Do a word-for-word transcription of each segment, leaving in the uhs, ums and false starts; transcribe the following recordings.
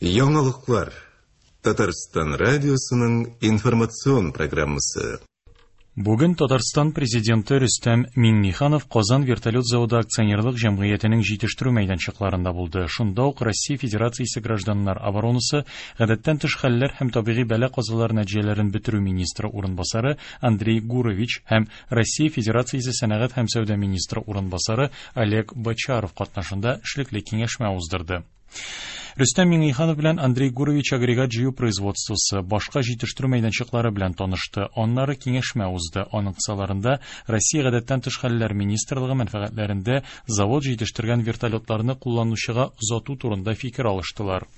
Яңалыклар. Татарстан радиосының информацион программасы. Бүген Татарстан президенты Рөстәм Миңнеханов Казан вертолет заводы акционерлык җәмгыятенең җитештерү мәйданчыкларында булды. Шунда ук Россия Федерациясе гражданнар оборонасы, гадәттән тыш хәлләр һәм табигый бәла-казалар нәтиҗәләрен бетерү министры урынбасары Андрей Гурович һәм Россия Федерациясе сәнәгать һәм сәүдә министры урынбасары Олег Бочаров катнашында эшлекле киңәшмә уздырды. Рөстәм Миңнеханов белән Андрей Гурович агрегат җыю производствосы, башка җитештерү мәйданчыклары белән танышты. Аннары киңәшмә узды. Аның кысаларында Россия гадәттән тыш хәлләр министрлыгы мәнфәгатьләрендә завод җитештергән вертолетларны кулланучыга озату турында фикер алыштылар.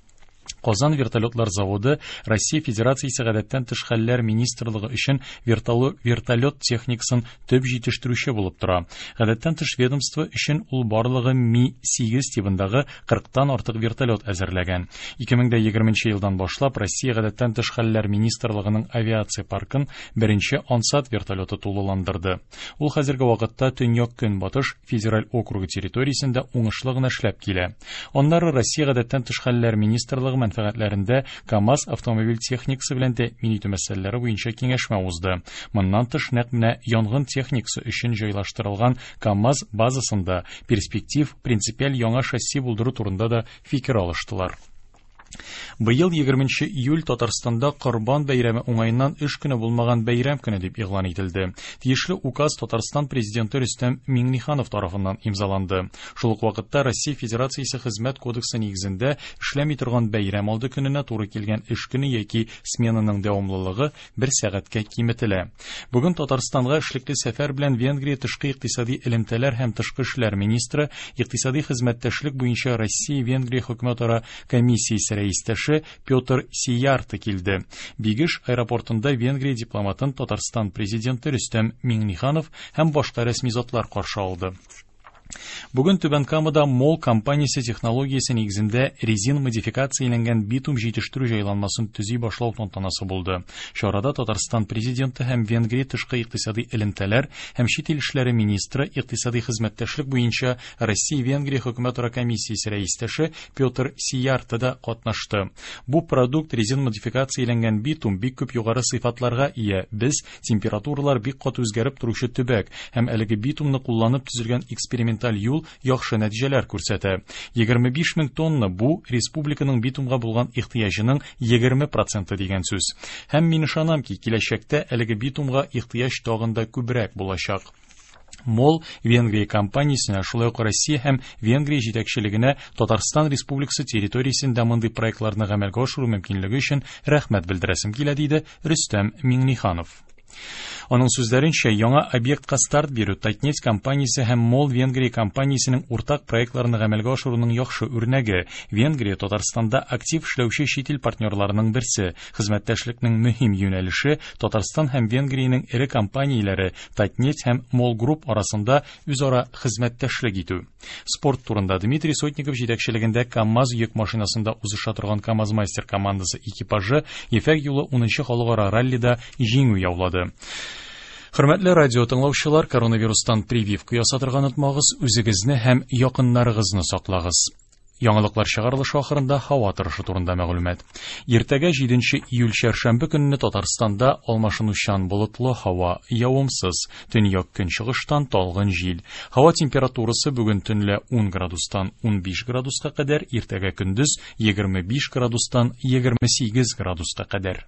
Казан вертолетлар заводы Россия Федерациясе гадәттән тыш хәлләр министрлыгы өчен вертолет техникасын төп җитештерүче булып тора. Гадәттән тыш ведомство өчен ул барлыгы Ми сигез тибындагы кырыктан артык вертолет әзерләгән. ике мең егерменче елдан башлап Россия гадәттән тыш хәлләр министрлыгының авиация паркын беренче Ансат вертолеты тулыландырды. Ул хәзерге вакытта Төньяк-Көнбатыш федераль округы территориясендә уңышлы гына эшләп килә. Аннары Россия гадәттән тыш хәлләр министрлыгы мәнфәгатьләрендә КАМАЗ автомобиль техникасы белән тәэмин итү мәсьәләләре буенча киңәшмә узды. Моннан тыш нәкъ менә янгын техникасы өчен җайлаштырылган КАМАЗ базасында перспектив принципиаль яңа шасси булдыру турында да фикер алыштылар. Быел егерменче июль Татарстанда Корбан бәйрәме уңаеннан эш көне булмаган бәйрәм көне дип игълан ителде. Тиешле указ Татарстан президенты Рөстәм Миңнеханов тарафыннан имзаланды. Шул ук вакытта Россия Федерациясе Хезмәт кодексы нигезендә эшләми торган бәйрәм алды көненә туры килгән эш көне яки сменаның дәвамлылыгы бер сәгатькә киметелә. Бүген Татарстанга эшлекле сәфәр белән Венгрия тышкы икътисади элемтәләр һәм тышкы эшләр министры, икътисади хезмәттәшлек буенча Россия-Венгрия хөкүмәтара комиссиясе рәистәше Петр Сиярты килде. Бигеш аэропортында Венгрия дипломатын Татарстан президенты Рөстәм Миңнеханов һәм башка рәсми затлар каршы алды. Бүген Түбән Камада МОЛ компаниясе технологиясе нигезендә резин модификацияләнгән битум җитештерү җайланмасын төзи башлау тантанасы булды. Чарада Татарстан президенты һәм Венгрия тышкы икътисади элемтәләр һәм чит ил эшләре министры, икътисади хезмәттәшлек буенча Россия-Венгрия хөкүмәтара комиссиясе рәистәше Петр Сиярты да катнашты. Бу продукт резин модификацияләнгән битум бик күп югары сыйфатларга ия. Без температуралар бик каты үзгәреп торучы төбәк һәм әлеге битумны кулланып төзелгән эксперимент юл яхшы нәтиҗәләр күрсәтә. егерме биш мең тонна бу республиканың битумга булган ихтыяҗының егерме проценты дигән сүз. Һәм мин ышанам ки, киләчәктә әлеге битумга ихтыяҗ тагын да күбрәк булачак. МОЛ Венгрия компаниясенә, шулай ук Россия һәм Венгрия җитәкчелегенә Татарстан Республикасы территориясендә мондый проектларны гамәлгә ашыру мөмкинлеге өчен рәхмәт белдерәсем килә, диде Рөстәм Миңнеханов. Аның сүзләренчә, яңа объектка старт бирү Татнефть компаниясе һәм МОЛ Венгрия компаниясенең уртак проектларын гамәлгә ашыруның яхшы үрнәге. Венгрия Татарстанда актив эшләүче чит ил партнерларының берсе. Хезмәттәшлекнең мөһим юнәлеше Татарстан һәм Венгриянең эре компанияләре Татнефть һәм МОЛ Групп арасында үзара хезмәттәшлек итү. Спорт турында Дмитрий Сотников җитәкчелегендә КАМАЗ йөк машинасында узыша торган КАМАЗ-мастер командасы экипажы Ефәк юлы унынчы халыкара раллида җиңү яулады. Хөрмәтле радио тыңлаучылар, коронавирустан прививка ясатырга онытмагыз, үзегезне һәм якыннарыгызны саклагыз. Яңалыклар чыгарылышы ахырында һава торышы турында мәгълүмат. Иртәгә җиденче июль чәршәмбе көнне Татарстанда алмашынучан болытлы һава, явымсыз, төньяк көнчыгыштан талгын җил. Һава температурасы бүген төнлә ун градустан унбиш градуска кадәр, иртәгә көндез егерме биш градустан егерме сигез градуска кадәр.